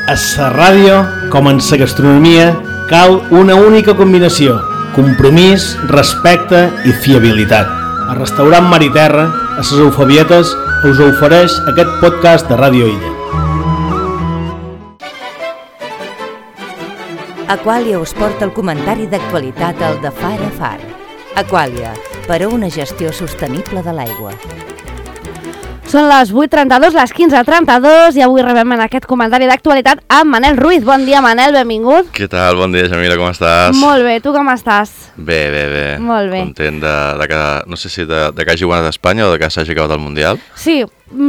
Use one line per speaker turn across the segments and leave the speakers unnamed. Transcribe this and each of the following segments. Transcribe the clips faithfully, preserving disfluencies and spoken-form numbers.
A la ràdio, com en la gastronomia, cal una única combinació: compromís, respecte i fiabilitat. El restaurant Mar i Terra, a les Eufebietes, us ofereix aquest podcast de Ràdio Illa.
Aquàlia us porta el comentari d'actualitat al de Far a Far. Aquàlia, per a una gestió sostenible de l'aigua.
Són les vuit trenta-dos, les quinze trenta-dos, i avui rebem en aquest comentari d'actualitat amb Manel Ruiz. Bon dia, Manel, benvingut.
Què tal? Bon dia, Jamila, com estàs?
Molt bé, tu com estàs?
Bé, bé, bé.
Molt bé.
Content de, de que, no sé si de, de que hagi guanyat Espanya o de que s'hagi acabat el Mundial.
Sí,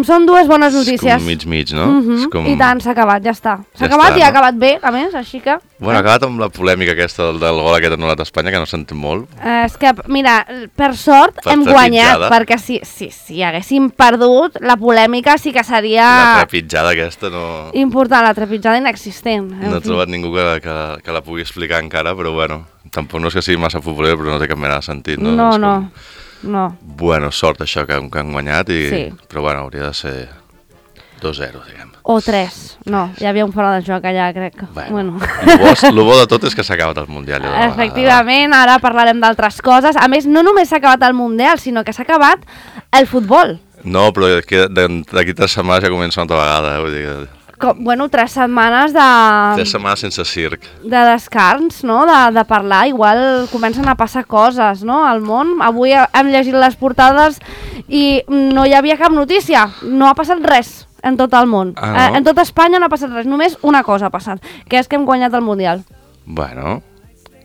són dues bones notícies.
És com mig mig, no?
Uh -huh.
És com...
I tant, s'ha acabat, ja està. S'ha
Ja
acabat
està,
i ha
no?
acabat bé, a més, així que...
Bueno, ha acabat amb la polèmica aquesta del, del gol aquest anul·lat a Espanya, que no s'entén molt.
Eh, és que, mira, per sort
Per
hem
trepitjada.
guanyat, perquè si, si, si haguéssim perdut, la polèmica sí que
La
seria
trepitjada aquesta no...
important, la trepitjada inexistent. En
No he
fi.
trobat ningú que, que, que la pugui explicar encara, però bueno, tampoc no és que sigui massa futboler, però no té cap mena de sentit, no?
No,
És
no,
com...
no.
Bueno, sort això que, que han guanyat, i...
Sí.
però bueno, hauria de ser dos zero, diguem.
O tres. No, hi havia un fora de joc allà, crec.
Bueno,
Bueno.
El, bo, el bo de tot és que s'ha acabat el Mundial. Ja de vegada.
Efectivament, ara parlarem d'altres coses. A més, no només s'ha acabat el Mundial, sinó que s'ha acabat el futbol.
No, però que d'aquí tres setmanes ja comença una altra vegada, eh? Vull dir que...
Com, bueno, tres setmanes de,
Tres setmanes sense circ.
de descans, no? De, de parlar. Igual comencen a passar coses, no? Al món. Avui hem llegit les portades i no hi havia cap notícia. No ha passat res en tot el món.
Ah, no?
eh, en tota Espanya no ha passat res. Només una cosa ha passat, que és que hem guanyat el Mundial.
Bueno,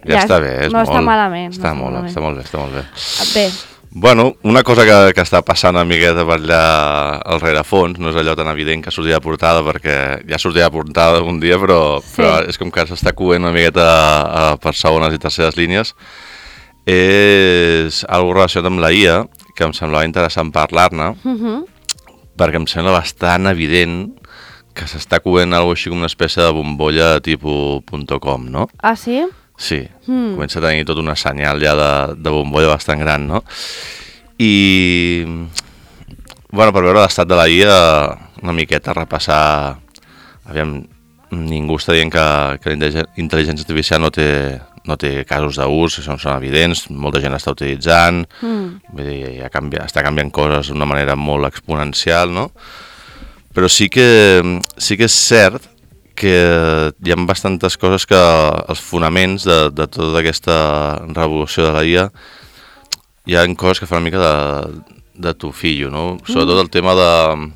ja,
Ja,
està bé, és
no
molt...
està malament,
Està,
no està
molt,
malament.
està molt bé, està molt bé.
Bé,
Bueno, una cosa que, que està passant una miqueta per allà al rerefons, no és allò tan evident que sortia de portada, perquè ja sortia de portada un dia, però,
Sí.
però és com que s'està coent una miqueta a, per segones i terceres línies, és algo relacionat amb la I A, que em semblava interessant parlar-ne,
uh -huh.
perquè em sembla bastant evident que s'està coent alguna així com una espècie de bombolla tipus .com, no?
Ah, sí?
Sí,
Mm.
comença a tenir tot una senyal ja de, de bombolla bastant gran, no? I, bueno, per veure l'estat de la I A, una miqueta repassar... Aviam, ningú està dient que, que la intel·ligència artificial no té, no té casos d'ús, són, són evidents, molta gent l'està utilitzant,
Mm.
vull dir, ja canvia, està canviant coses d'una manera molt exponencial, no? Però sí que, sí que és cert que hi ha bastantes coses que els fonaments de, de tota aquesta revolució de la I A hi ha coses que fan una mica de, de tufillo, no? Sobretot el tema de...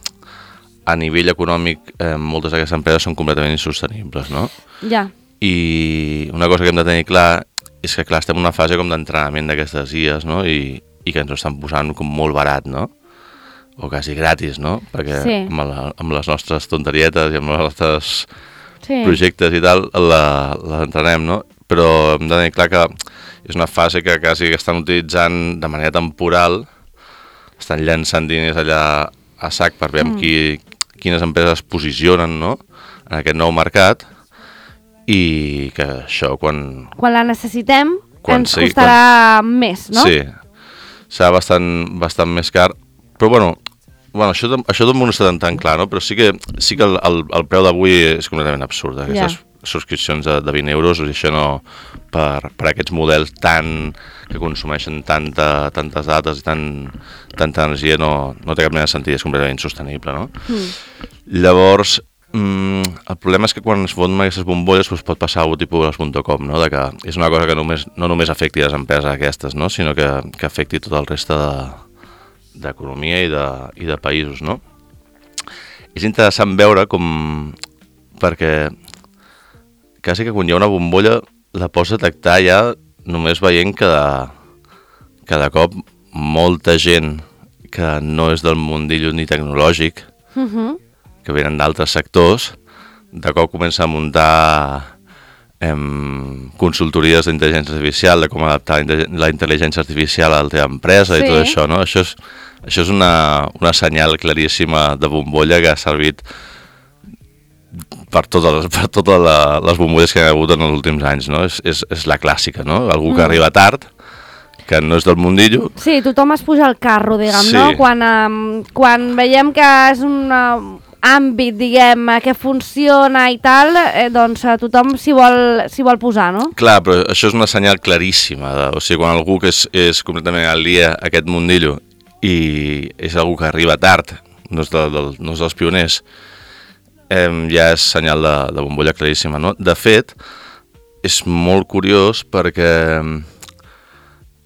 A nivell econòmic, eh, moltes d'aquestes empreses són completament insostenibles, no?
Ja.
I una cosa que hem de tenir clar és que, clar, estem en una fase com d'entrenament d'aquestes I As, no? I, i que ens ho estan posant com molt barat, no? O quasi gratis, no? Perquè
Sí.
amb, la, amb les nostres tonterietes i amb els nostres
Sí.
projectes i tal, la, la entrenem, no? Però hem de tenir clar que és una fase que quasi que estan utilitzant de manera temporal, estan llançant diners allà a sac per veure mm. qui, quines empreses es posicionen, no?, en aquest nou mercat, i que això quan...
Quan la necessitem,
Quan
ens
sí,
costarà més, no?
Sí, serà bastant, bastant més car, però bueno, bueno això, això tot no està tan, tan clar, no? Però sí que, sí que el, el, el preu d'avui és completament absurd, aquestes
Ja.
subscripcions de, de vint euros, i això no, per, per aquests models tan, que consumeixen tanta, tantes dates i tan, tanta energia, no, no té cap mena de sentit, és completament insostenible, no?
Mm.
Llavors, mm, el problema és que quan es foten aquestes bombolles doncs pot passar algú tipus les .com, no? De que és una cosa que només, no només afecti les empreses aquestes, no? Sinó que, que afecti tot el reste d'economia de, i, de, i de països, no? És interessant veure com... perquè quasi que quan hi ha una bombolla la pots detectar ja només veient que de, que de cop molta gent que no és del mundillo ni tecnològic,
Uh -huh.
que venen d'altres sectors, de cop comença a muntar em, consultories d'intel·ligència artificial, de com adaptar la intel·ligència artificial a la teva empresa, sí. I tot això, no? Això és, això és una, una senyal claríssima de bombolla que ha servit per totes les, per totes la, les bombolles que hi ha hagut en els últims anys, no? És, és, és la clàssica, no? Algú que mm. arriba tard, que no és del mundillo.
Sí, tothom es puja al carro, diguem,
Sí.
no? Quan, um, quan veiem que és una... àmbit, diguem, que funciona i tal, eh, doncs eh, tothom s'hi vol, s'hi vol posar, no?
Clar, però això és una senyal claríssima. De, o sigui, quan algú que és, és completament al dia aquest mundillo i és algú que arriba tard, no és, de, de, no és dels pioners, eh, ja és senyal de, de bombolla claríssima, no? De fet, és molt curiós perquè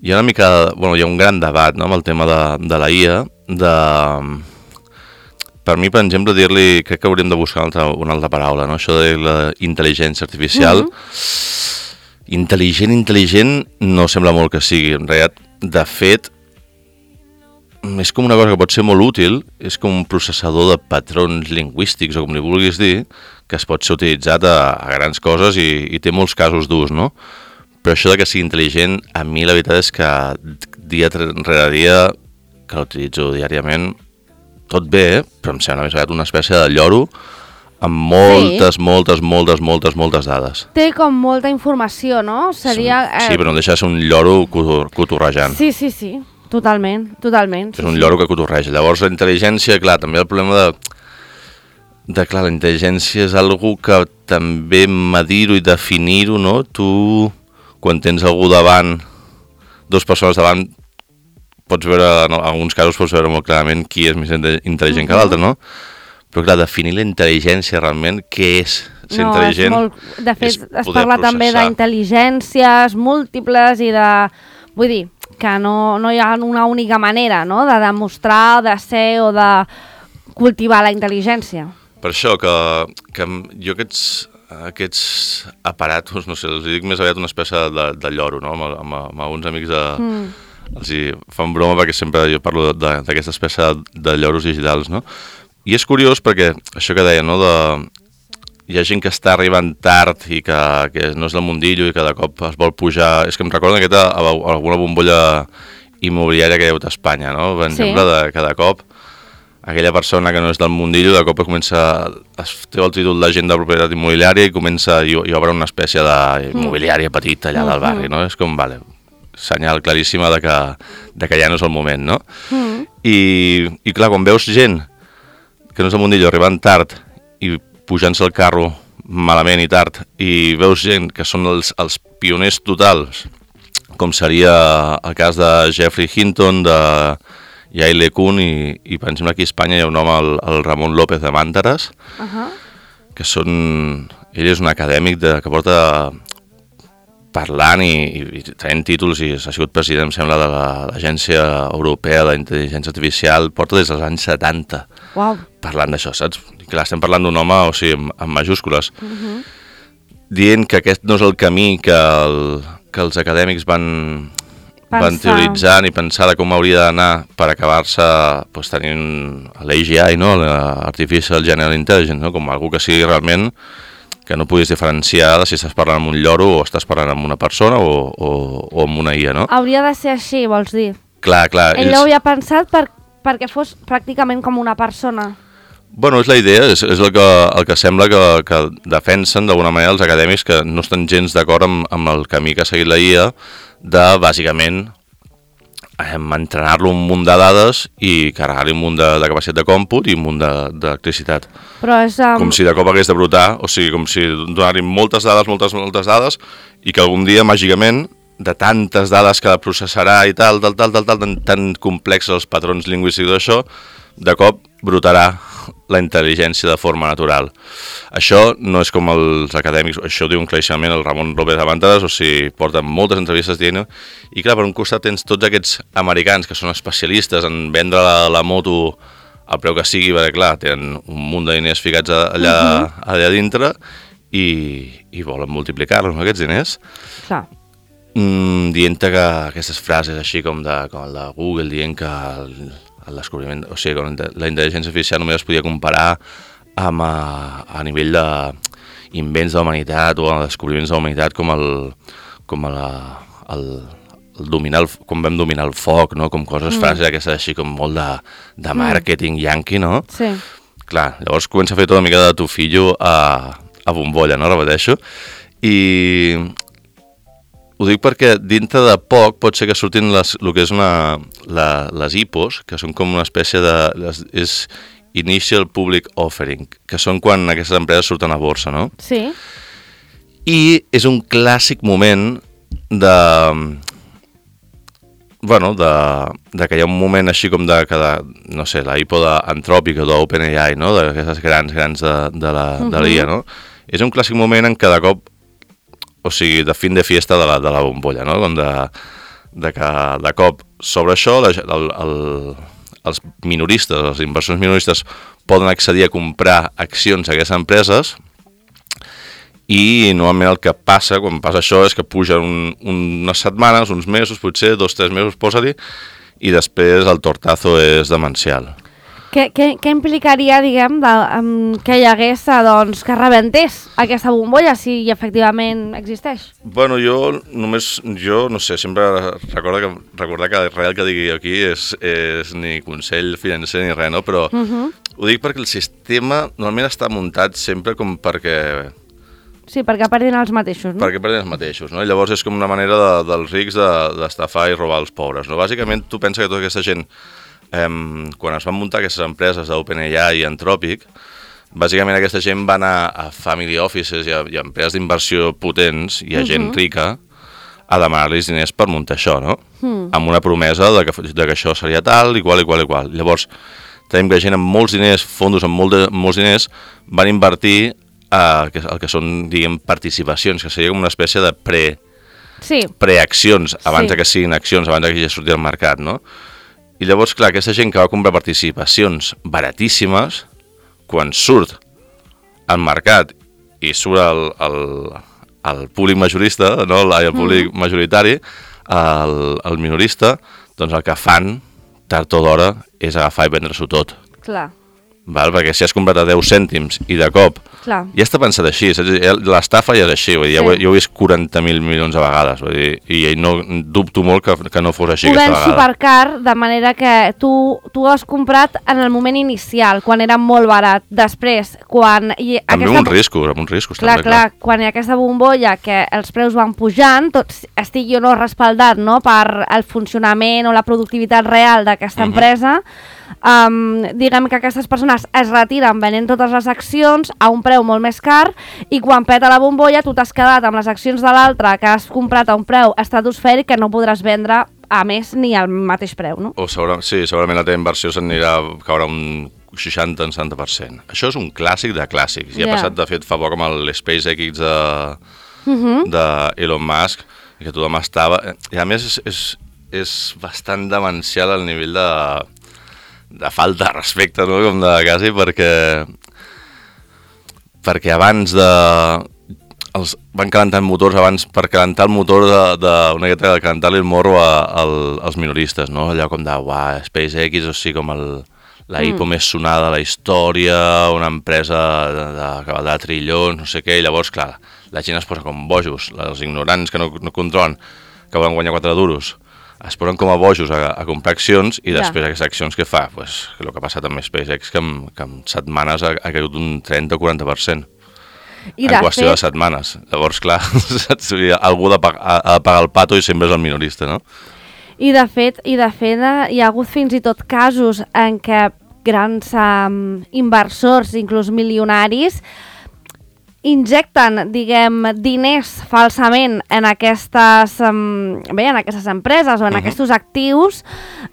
hi ha una mica, bueno, hi ha un gran debat, no?, amb el tema de, de la I A, de... Per mi, per exemple, dir-li, crec que hauríem de buscar una altra, una altra paraula, no?, això de la intel·ligència artificial. Mm-hmm. Intel·ligent, intel·ligent, no sembla molt que sigui. En realitat, de fet, és com una cosa que pot ser molt útil, és com un processador de patrons lingüístics, o com li vulguis dir, que es pot ser utilitzat a, a grans coses i, i té molts casos d'ús, no? Però això de que sigui intel·ligent, a mi la veritat és que dia rere dia, que l'utilitzo diàriament, tot bé, eh? Però em sembla més aviat una espècie de lloro amb moltes, sí. moltes, moltes, moltes, moltes dades.
Té com molta informació, no? Seria...
Sí, eh... però no deixa de ser un lloro cotorrejant.
Sí, sí, sí, totalment, totalment.
És
sí,
un
sí.
lloro que cotorreja. Llavors la intel·ligència, clar, també el problema de... de clar, la intel·ligència és algo que també medir-ho i definir-ho, no? Tu, quan tens algú davant, dues persones davant, pots veure, en alguns casos pots veure molt clarament qui és més intel·ligent uh-huh. que l'altre, no? Però clar, definir la intel·ligència realment, què és ser
no,
intel·ligent?
És molt... De fet, es parla
processar.
també d'intel·ligències múltiples i de... Vull dir, que no, no hi ha una única manera, no?, de demostrar, de ser o de cultivar la intel·ligència.
Per això que, que jo aquests, aquests aparatos, no sé, els dic més aviat una espècie de, de lloro, no?, amb, amb, amb alguns amics de... Mm. Els hi fan broma perquè sempre jo parlo d'aquesta espècie de, de lloros digitals, no? I és curiós perquè això que deia, no?, de... hi ha gent que està arribant tard i que, que no és del mundillo i que de cop es vol pujar... És que em recorda aquesta, alguna bombolla immobiliària que hi ha hagut a Espanya, no? Per exemple, sí. de, que de cop aquella persona que no és del mundillo de cop comença, es té el títol d'agent de propietat immobiliària i comença i, i obre una espècie d'immobiliària petita allà del barri, no? És com, vale, senyal claríssima de que, de que ja no és el moment, no? Mm. I, I clar, quan veus gent que no és del mundillo arribant tard i pujant-se al carro malament i tard, i veus gent que són els, els pioners totals, com seria el cas de Jeffrey Hinton, de Yael LeCun, i, i per exemple aquí a Espanya hi ha un home, el, el Ramon López de Màntares, uh-huh. que són... Ell és un acadèmic de, que porta parlant i, i, i traient títols, i ha sigut president, em sembla, de l'Agència Europea d'Intel·ligència Artificial, porta des dels anys setanta, wow. parlant d'això, saps? I clar, estem parlant d'un home, o sigui, amb, amb majúscules, uh-huh. dient que aquest no és el camí que, el, que els acadèmics van... Pensar. van teoritzant i pensar de com hauria d'anar per acabar-se pues, tenint l'A G I, no? l'Artificial General Intelligence, no? Com algú que sigui realment que no puguis diferenciar de si estàs parlant amb un lloro o estàs parlant amb una persona o, o, o amb una I A, no?
Hauria de ser així, vols dir?
Clar, clar.
Ell ells... ho havia pensat per, perquè fos pràcticament com una persona.
Bueno, és la idea, és, és el, que, el que sembla que, que defensen d'alguna manera els acadèmics que no estan gens d'acord amb, amb el camí que ha seguit la I A, de, bàsicament, eh, entrenar-lo un munt de dades i carregar-li un munt de, de capacitat de còmput i un munt d'electricitat.
Però és... Um...
Com si de cop hagués de brotar, o sigui, com si donar-li moltes dades, moltes, moltes dades, i que algun dia, màgicament, de tantes dades que processarà i tal, tal, tal, tal, tal, tan, tan complexes els patrons lingüístics d'això, de cop brotarà la intel·ligència de forma natural. Això no és com els acadèmics, això ho diu claríssimament el Ramon López de Màntares, o sigui, porten moltes entrevistes dient-ho, i clar, per un costat tens tots aquests americans que són especialistes en vendre la, la moto al preu que sigui, perquè clar, tenen un munt de diners ficats allà, uh-huh. allà dintre i, i volen multiplicar-los, no, aquests diners.
Clar.
Mm, dient-te que aquestes frases així com, de, com el de Google, dient que el, el descobriment, o sigui, la intel·ligència artificial només es podia comparar amb a, a nivell d'invents de la humanitat o de descobriments de la humanitat com el, com el, el, el dominar el, com vam dominar el foc, no? Com coses, mm. frases aquestes així com molt de, de màrqueting mm. yanqui, no?
Sí.
Clar, llavors comença a fer tota una mica de tufillo a, a bombolla, no? Repeteixo. I ho dic perquè dintre de poc pot ser que surtin les, el que és una, la, les I P Os, que són com una espècie de... Les, és Initial Public Offering, que són quan aquestes empreses surten a borsa, no?
Sí.
I és un clàssic moment de... Bueno, de, de que hi ha un moment així com de, que de no sé, la I P O d'Anthropic o d'OpenAI, no? D'aquestes grans, grans de, de la uh -huh. de l'I A, no? És un clàssic moment en què de cop, o sigui, de fin de fiesta de la, de la bombolla, no? Com de, de que de cop sobre això la, el, el, els minoristes, els inversors minoristes poden accedir a comprar accions a aquestes empreses i normalment el que passa quan passa això és que pugen un, unes setmanes, uns mesos, potser dos, tres mesos, posa-li, i després el tortazo és demencial.
Què, què, què implicaria, diguem, de, um, que hi hagués, doncs, que rebentés aquesta bombolla, si efectivament existeix?
Bueno, jo només, jo no sé, sempre recordo que, recordar que res que digui aquí és, és ni consell financer ni res, no? Però uh -huh. ho dic perquè el sistema normalment està muntat sempre com perquè...
Sí, perquè perdin els mateixos, no?
Perquè perdin els mateixos, no? I llavors és com una manera de, dels rics d'estafar de, i robar els pobres, no? Bàsicament, tu penses que tota aquesta gent... Eh, quan es van muntar aquestes empreses d'OpenAI i Anthropic, bàsicament aquesta gent va anar a family offices i a, i a empreses d'inversió potents i a uh -huh. gent rica a demanar-los diners per muntar això, no? Uh-huh. Amb una promesa de que, de que això seria tal, igual, igual, igual. Llavors, tenim que gent amb molts diners, fondos amb molt de, molts diners, van invertir eh, el que són, diguem, participacions, que seria com una espècie de pre,
sí.
preaccions, abans
sí.
de que siguin accions, abans de que ja surti al mercat, no? I llavors, clar, aquesta gent que va comprar participacions baratíssimes, quan surt al mercat i surt el, el, el públic majorista, no? el públic mm. majoritari, el, el minorista, doncs el que fan, tard o d'hora, és agafar i vendre-s'ho tot.
Clar.
Val? Perquè si has comprat a deu cèntims i de cop
Clar.
ja està pensat així, l'estafa ja és així, vull dir, sí. jo, jo ho he vist quaranta mil milions de vegades, vull dir, i no, dubto molt que, que no fos així
ho
aquesta vegada.
Ho ven supercar, de manera que tu, tu ho has comprat en el moment inicial, quan era molt barat. Després, quan... I
amb
aquesta...
uns riscos, amb uns riscos
clar,
també,
clar. Clar, quan hi ha aquesta bombolla que els preus van pujant, tot estigui o no respaldat, no?, per el funcionament o la productivitat real d'aquesta uh-huh. empresa, Um, diguem que aquestes persones es retiren venent totes les accions a un preu molt més car i quan peta la bombolla tu t'has quedat amb les accions de l'altre que has comprat a un preu estratosfèric que no podràs vendre a més ni al mateix preu, no?
O segura, sí, segurament la teva inversió s'anirà a caure un seixanta a setanta per cent. Això és un clàssic de clàssics. Ja yeah. ha passat, de fet, fa poc amb el SpaceX de, uh-huh. de Elon Musk, que tothom estava... I a més és, és, és bastant demencial al nivell de... de falta de respecte, no?, com de quasi, perquè perquè abans de els van calentant motors abans per calentar el motor de, de una miqueta de calentar-li el morro a, a, als minoristes, no? Allò com de, uah, SpaceX, o sigui, com el, la I P O mm. més sonada de la història, una empresa de, de, que valdrà trillons, no sé què, i llavors, clar, la gent es posa com bojos, els ignorants que no, no controlen, que volen guanyar quatre duros, es posen com a bojos a, a comprar accions i després ja. aquestes accions que fa, pues, que el que ha passat amb SpaceX, que en, que en setmanes ha, ha caigut un trenta o quaranta per cent. I en qüestió fet... de setmanes. Llavors, clar, algú ha de, pagar, ha de pagar el pato i sempre és el minorista, no?
I de fet, i de fet hi ha hagut fins i tot casos en què grans um, inversors, inclús milionaris, injecten, diguem, diners falsament en aquestes, um, bé, en aquestes empreses o en uh-huh. aquests actius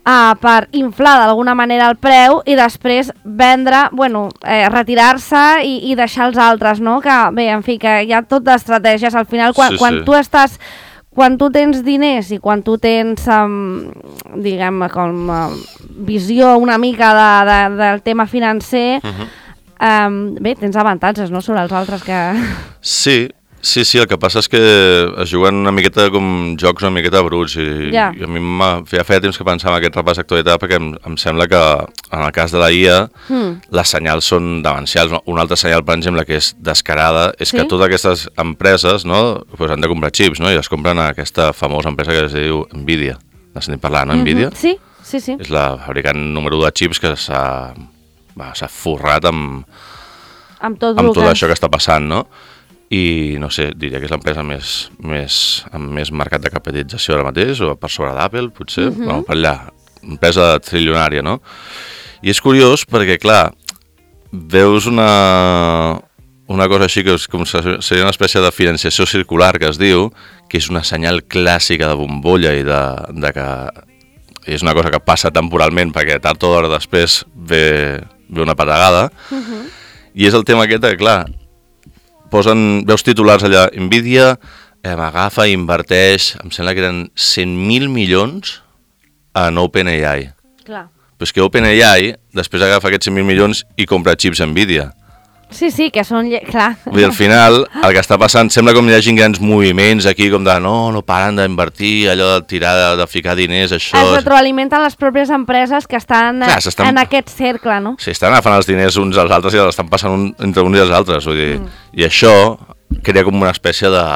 uh, per inflar d'alguna manera el preu i després vendre, bueno, eh, retirar-se i, i deixar els altres, no? Que, bé, en fi, que hi ha tot d'estratègies. Al final, quan, sí, quan sí. tu estàs... Quan tu tens diners i quan tu tens, um, diguem, com uh, visió una mica de, de, del tema financer... Uh-huh. Um, bé, tens avantatges, no?, sobre els altres que...
Sí, sí, sí, el que passa és que es juguen una miqueta com jocs una miqueta bruts i, yeah. i a mi feia, feia temps que pensava en aquest repàs d'actualitat perquè em, em sembla que en el cas de la I A mm. les senyals són demencials. Un altre senyal, per exemple, que és descarada és sí? que totes aquestes empreses, no, pues han de comprar xips, no?, i es compren a aquesta famosa empresa que es diu Nvidia. N'has sentit parlar, no, mm-hmm. Nvidia?
Sí, sí, sí.
És la fabricant número u de xips que s'ha... Va, s'ha forrat amb,
amb, tot,
amb tot això que està passant, no? I, no sé, diria que és l'empresa més, més, amb més mercat de capitalització ara mateix, o per sobre d'Apple, potser, uh-huh. bueno, per allà, empresa trilionària, no? I és curiós perquè, clar, veus una, una cosa així que és com seria una espècie de financiació circular que es diu, que és una senyal clàssica de bombolla i de, de que és una cosa que passa temporalment perquè tard o d'hora després ve, ve una patagada. Uh-huh. I és el tema aquest que, clar, posen, veus titulars allà, Nvidia eh, m'agafa i inverteix, em sembla que eren cent mil milions en OpenAI.
Clar.
Però és que OpenAI després agafa aquests cent mil milions i compra xips Nvidia.
Sí, sí, que són... Clar.
Vull dir, al final, el que està passant, sembla com hi hagi grans moviments aquí, com de no, no paren d'invertir, allò de tirar, de, de ficar diners, això...
Es retroalimenten les pròpies empreses que estan, Clar, estan en aquest cercle, no?
Sí, estan agafant els diners uns als altres i els estan passant un, entre uns i els altres, vull dir, mm. i això crea com una espècie de,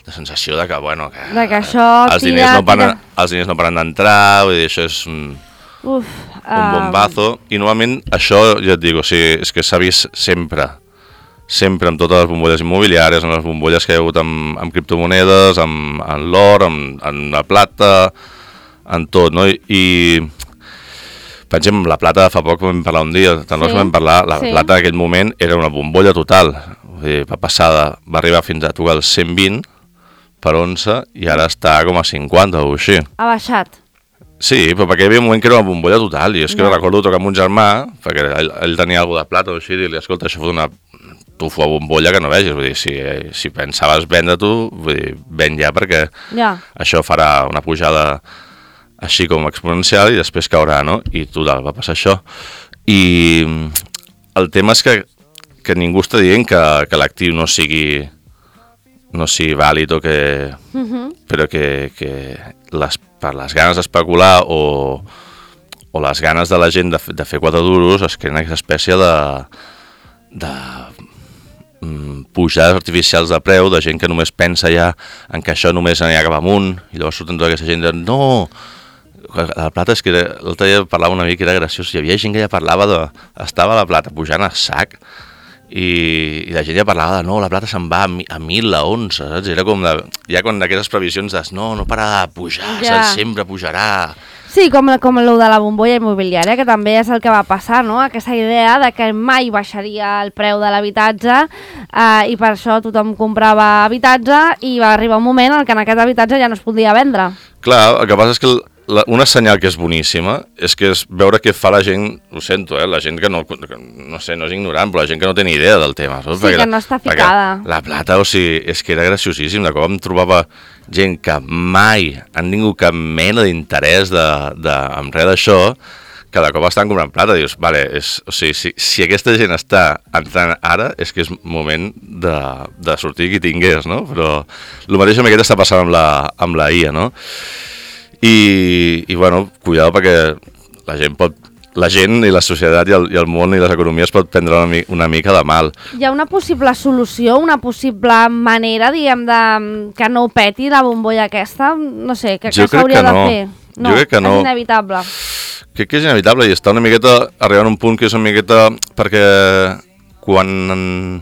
de sensació de que, bueno, que,
de que això
els,
tira,
diners no paren,
tira.
els diners no paren d'entrar, vull dir, això és un,
Uf,
un bombazo, um... i normalment això, ja et dic, o sigui, és que s'ha vist sempre, sempre amb totes les bombolles immobiliàries, amb les bombolles que hi ha hagut amb, amb criptomonedes, amb, amb l'or, amb, amb la plata, en tot, no? I, i pensem, la plata fa poc vam parlar un dia, tant sí. vam parlar, la sí. plata en aquell moment era una bombolla total, vull dir, va passar de, va arribar fins a tocar el cent vint per onça i ara està com a cinquanta o així.
Ha baixat.
Sí, però perquè hi havia un moment que era una bombolla total, i és que no. recordo tocar amb un germà, perquè ell, ell tenia alguna de plata o així, i li escolta, això fot una tufo a bombolla que no vegis, vull dir, si, si pensaves vendre tu, vull dir, ven ja, perquè
ja.
això farà una pujada així com exponencial i després caurà, no? I total, va passar això. I el tema és que, que ningú està dient que, que l'actiu no sigui no sigui vàlid o que... Uh-huh. però que, que les, per les ganes d'especular o, o les ganes de la gent de, de fer quatre duros es creen aquesta espècie de... de pujades artificials de preu, de gent que només pensa ja en que això només anirà cap amunt, i llavors surten tota aquesta gent de no, la plata és que l'altre dia parlava una mica que era graciós, hi havia gent que ja parlava de, estava la plata pujant a sac i, i la gent ja parlava de no, la plata se'n va a, mi, a mil, a onze, saps? Era com de, ja quan d'aquestes previsions de no, no para de pujar, ja. sempre pujarà.
Sí, com, com el de la bombolla immobiliària, que també és el que va passar, no? Aquesta idea de que mai baixaria el preu de l'habitatge eh, i per això tothom comprava habitatge i va arribar un moment en què en aquest habitatge ja no es podia vendre.
Clar, el que passa és que la, una senyal que és boníssima és que és veure què fa la gent, ho sento, eh, la gent que no, que, no sé, no és ignorant, però la gent que no té ni idea del tema. Saps?
Sí, perquè, que no està ficada.
La plata, o sigui, és que era graciosíssim, de cop em trobava gent que mai han tingut cap mena d'interès de, de, en res d'això, que de cop estan comprant plata, dius, vale, és, o sigui, si, si aquesta gent està entrant ara, és que és moment de, de sortir qui tingués, no? Però el mateix amb aquest està passant amb la, amb la I A, no? I, i bueno, cuidado perquè la gent pot, la gent i la societat i el, i el món i les economies pot prendre una, una mica de mal.
Hi ha una possible solució, una possible manera, diguem, de que no peti la bombolla aquesta? No sé, que, que s'hauria de fer? No,
jo crec que no.
És inevitable.
Crec que és inevitable i està una miqueta arribant a un punt que és una miqueta perquè quan...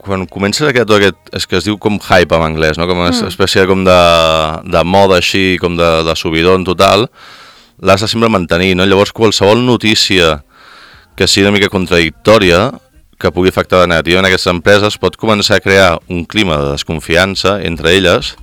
quan comença aquest, tot aquest, és que es diu com hype en anglès, no? Com una mm. espècie com de, de moda així, com de, de subidon total, l'has de sempre mantenir, no? Llavors qualsevol notícia que sigui una mica contradictòria, que pugui afectar de negativa en aquestes empreses, pot començar a crear un clima de desconfiança entre elles,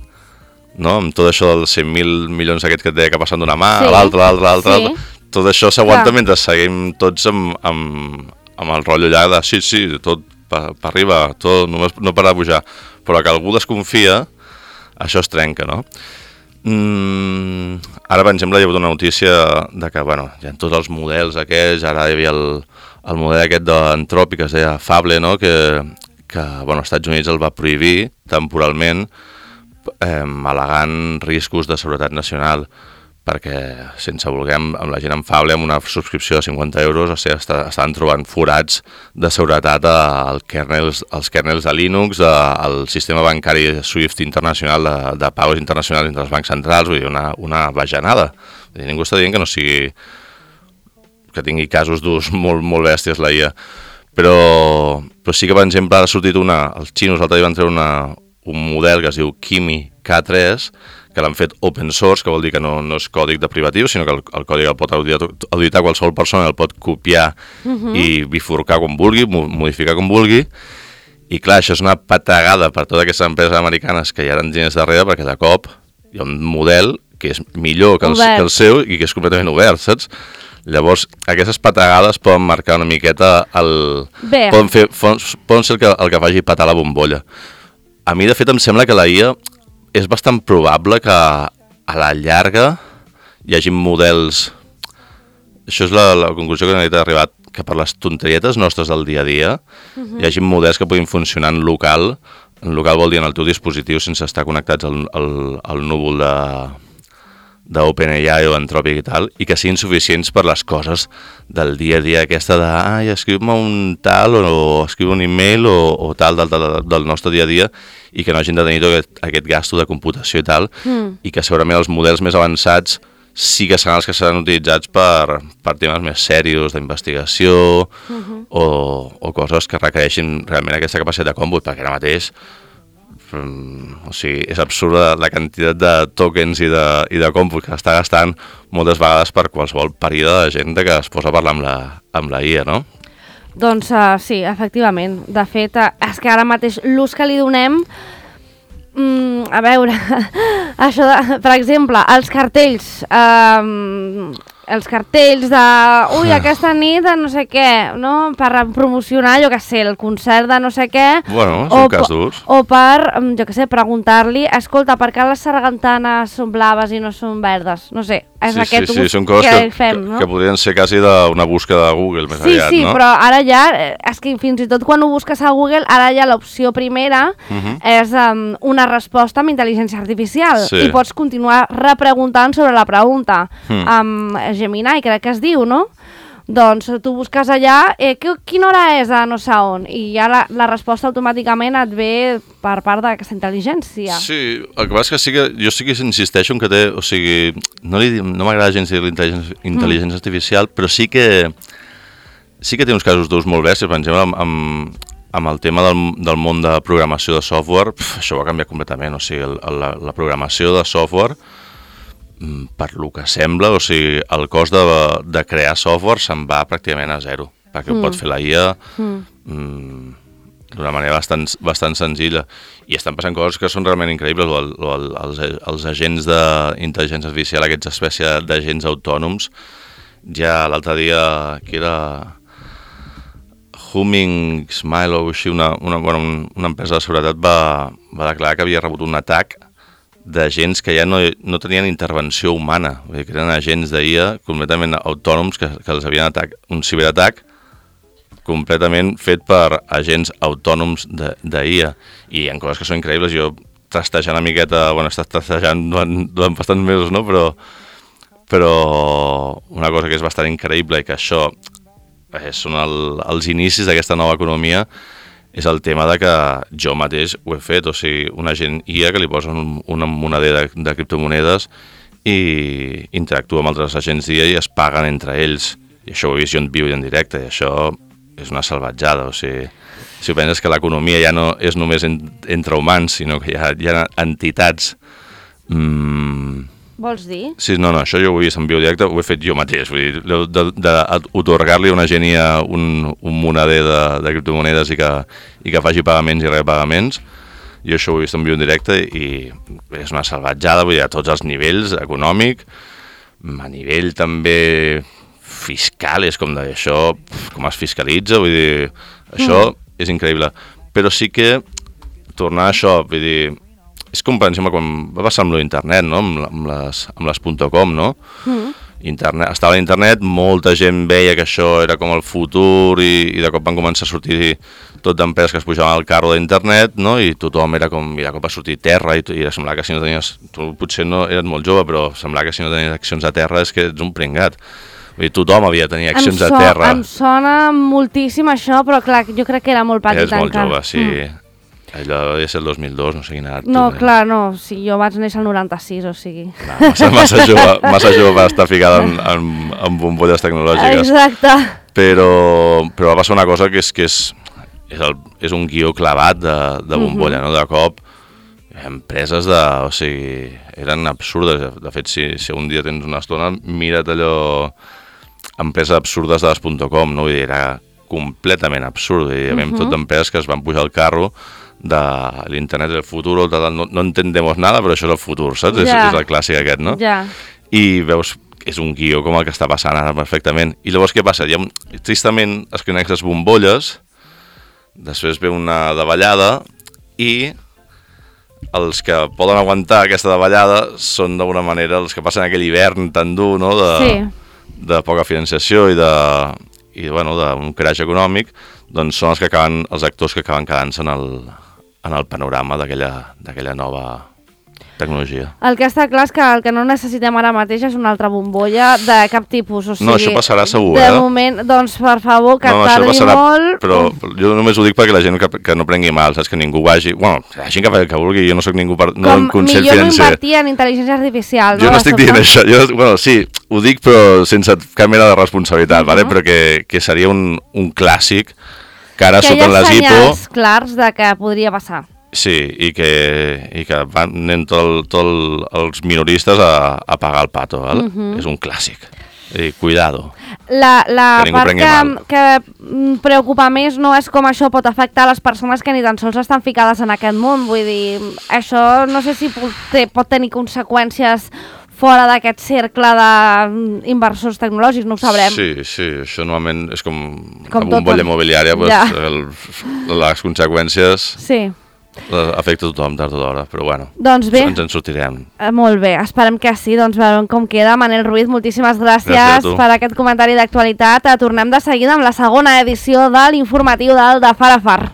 no? Amb tot això dels cent mil milions aquests que et deia que passen d'una mà sí. a l'altra, a l'altra, a l'altra, sí. tot això s'aguanta ja. mentre seguim tots amb, amb, amb el rotllo allà de sí, sí, tot per, per arriba, tot, només no para de pujar, però que algú desconfia, això es trenca, no? Mm, ara, per exemple, hi ha hagut una notícia de que, bueno, hi ha tots els models aquests, ara hi havia el, el model aquest d'Anthropic que es deia Fable, no? Que, que, bueno, als Estats Units el va prohibir temporalment, eh, al·legant riscos de seguretat nacional, perquè sense voler amb, amb la gent amb Fable, amb una subscripció de cinquanta euros, o sigui, està, estan trobant forats de seguretat al kernels, als kernels de Linux, de, al sistema bancari SWIFT internacional, de, de pagos internacionals entre els bancs centrals, vull dir, una, una bajanada. Vull dir, ningú està dient que no sigui, que tingui casos d'ús molt, molt bèsties la I A, però, però sí que, per exemple, ha sortit una, els xinos l'altre dia van treure una, un model que es diu Kimi K tres, que l'han fet open source, que vol dir que no, no és còdic de privatiu, sinó que el, el còdic el pot auditar, auditar qualsevol persona, el pot copiar uh-huh. i bifurcar com vulgui, modificar com vulgui, i clar, això és una patagada per totes aquestes empreses americanes que hi ha enginyers darrere, perquè de cop hi ha un model que és millor que el, que el seu i que és completament obert, saps? Llavors, aquestes patagades poden marcar una miqueta el...
Bé.
Poden, fer, poden ser el que, el que faci patar la bombolla. A mi, de fet, em sembla que la I A és bastant probable que a la llarga hi hagi models... Això és la, la conclusió que n'he arribat, que per les tonterietes nostres del dia a dia uh-huh. hi hagi models que puguin funcionar en local. En local vol dir en el teu dispositiu sense estar connectats al, al, al núvol de... d'OpenAI o Anthropic i tal, i que siguin suficients per les coses del dia a dia, aquesta de, ai, escriu-me un tal, o, o escriu un email, o, o tal del, del, del nostre dia a dia, i que no hagin de tenir tot aquest, aquest gasto de computació i tal, mm. i que segurament els models més avançats sí que seran els que seran utilitzats per, per temes més serios d'investigació mm-hmm. o, o coses que requereixin realment aquesta capacitat de còmput, perquè ara mateix o sigui, és absurda la quantitat de tokens i de, i de còmput que està gastant moltes vegades per qualsevol període de gent que es posa a parlar amb la, amb la I A, no?
Doncs uh, sí, efectivament. De fet, uh, és que ara mateix l'ús que li donem, mm, a veure, això de, per exemple, els cartells, um, els cartells de, ui, aquesta nit de no sé què, no? Per promocionar, jo què sé, el concert de no sé què.
Bueno, és un cas d'ús.
O per, jo què sé, preguntar-li, escolta, per què les sargantanes són blaves i no són verdes? No sé, és
sí,
aquest
sí, sí,
ús
són coses
que,
que
fem,
que,
no?
que podrien ser quasi d'una búsqueda de Google més
sí,
aviat,
sí,
no?
Sí, però ara ja, és que fins i tot quan ho busques a Google, ara ja l'opció primera uh-huh. és um, una resposta amb intel·ligència artificial sí. i pots continuar repreguntant sobre la pregunta. Uh-huh. Amb Gemini, crec que es diu, no? Doncs tu busques allà, eh, que, quina hora és a no sé on, i ja la, la resposta automàticament et ve per part d'aquesta intel·ligència.
Sí, el que passa és que sí que jo sí que insisteixo en que té, o sigui, no, li, no m'agrada gens dir l'intel·ligència intel·ligència mm. artificial, però sí que sí que té uns casos d'ús molt bèsties, per exemple, amb, amb, amb el tema del, del món de programació de software, pf, això va canviar completament, o sigui, el, la, la programació de software per lo que sembla, o sigui, el cost de, de crear software se'n va pràcticament a zero, perquè mm. ho pot fer la I A mm. mm, d'una manera bastant, bastant senzilla, i estan passant coses que són realment increïbles, o, el, o el, els, els agents d'intel·ligència artificial, aquests espècie d'agents autònoms, ja l'altre dia, que era Humming Smile o així, una, una, bueno, una empresa de seguretat va, va declarar que havia rebut un atac d'agents que ja no, no tenien intervenció humana, vull dir que eren agents d'I A completament autònoms que, que els havien atacat, un ciberatac completament fet per agents autònoms d'I A, i hi ha coses que són increïbles. Jo trastejant una miqueta, bueno, he estat trastejant durant, durant bastants mesos, no? Però, però una cosa que és bastant increïble i que això eh, són el, els inicis d'aquesta nova economia és el tema de que jo mateix ho he fet, o sigui, un agent I A que li posa un, una monader de, de criptomonedes i interactua amb altres agents d'I A i es paguen entre ells, i això ho he vist jo en viu i en directe, i això és una salvatjada, o sigui, si penses que l'economia ja no és només en, entre humans, sinó que hi ha, hi ha entitats... Mmm,
Vols dir?
Sí, no, no, això jo ho he vist en viu directe, ho he fet jo mateix, vull dir, d'atorgar-li a una genia un, un monader de, de criptomonedes i que, i que faci pagaments i repagaments, jo això ho he vist en viu en directe i és una salvatjada, vull dir, a tots els nivells, econòmic, a nivell també fiscal, és com d'això, com es fiscalitza, vull dir, això mm. és increïble, però sí que tornar a això, vull dir, és com, per exemple, quan va passar amb l'internet, no? Amb, amb les, amb les .com, no? Mm. Internet, estava a l'internet, molta gent veia que això era com el futur i, i de cop van començar a sortir tot d'empreses que es pujaven al carro d'internet, no? I tothom era com, i de cop va sortir Terra i, i semblava que si no tenies, tu potser no eres molt jove, però semblava que si no tenies accions a Terra és que ets un pringat. Vull dir, tothom havia de tenir accions so, a Terra.
Em sona moltíssim això, però clar, jo crec que era molt petit
encara. Eres molt jove, sí.
Mm.
Allò devia ser el dos mil dos, no sé quina edat.
No, tu, clar, no, sí, jo vaig néixer el noranta-sis, o sigui...
No, massa, massa, jove, massa jove per estar ficada en, en, en bombolles tecnològiques.
Exacte.
Però, però va passar una cosa que és que és, és, el, és un guió clavat de, de bombolla, mm-hmm. no? De cop, empreses de... O sigui, eren absurdes. De fet, si, si un dia tens una estona, mira't allò... Empreses absurdes de les punt com, no? Vull dir, era completament absurd. I hi havia uh -huh. tot d'empreses que es van pujar al carro de l'internet del futur, no, no entendemos nada, però això és el futur, saps? Ja. És, és el clàssic aquest, no?
Ja.
I veus... és un guió com el que està passant ara perfectament. I llavors què passa? Hi ha, tristament es creen aquestes bombolles, després ve una davallada i els que poden aguantar aquesta davallada són d'alguna manera els que passen aquell hivern tan dur, no? De,
sí.
de poca financiació i de i bueno, d'un crash econòmic, doncs són els que acaben, els actors que acaben quedant-se en el, en el panorama d'aquella d'aquella nova tecnologia.
El que està clar és que el que no necessitem ara mateix és una altra bombolla de cap tipus. O sigui,
no, això passarà segur,
de
eh?
De moment, doncs, per favor, que
no,
tardi
passarà,
molt...
Però jo només ho dic perquè la gent que, que no prengui mal, saps? Que ningú vagi... Bueno, la gent que, que vulgui, jo no sóc ningú per... No
Com
consell
millor
financer.
no invertir en intel·ligència artificial, no?
Jo no estic dient això. Jo, bueno, sí, ho dic, però sense cap mena de responsabilitat, uh -huh. vale? Però que, que seria un, un clàssic que ara
que
sota les I P O...
Que hi ha senyals clars de que podria passar.
Sí, i que, i que van anem tots tot els minoristes a, a pagar el pato, val? Uh -huh. És un clàssic. I cuidado.
La, la
que
part que, que preocupa més no és com això pot afectar les persones que ni tan sols estan ficades en aquest món. Vull dir, això no sé si pot, pot tenir conseqüències fora d'aquest cercle d'inversors tecnològics, no ho sabrem.
Sí, sí, això normalment és com,
com
la bombolla immobiliària, pues,
ja.
el, les conseqüències
sí.
afecta a tothom tard o d'hora, però bueno,
doncs bé,
ens en sortirem.
Eh, molt bé, esperem que sí, doncs veurem com queda. Manel Ruiz, moltíssimes gràcies, gràcies per aquest comentari d'actualitat. Tornem de seguida amb la segona edició de l'informatiu del de Far a Far.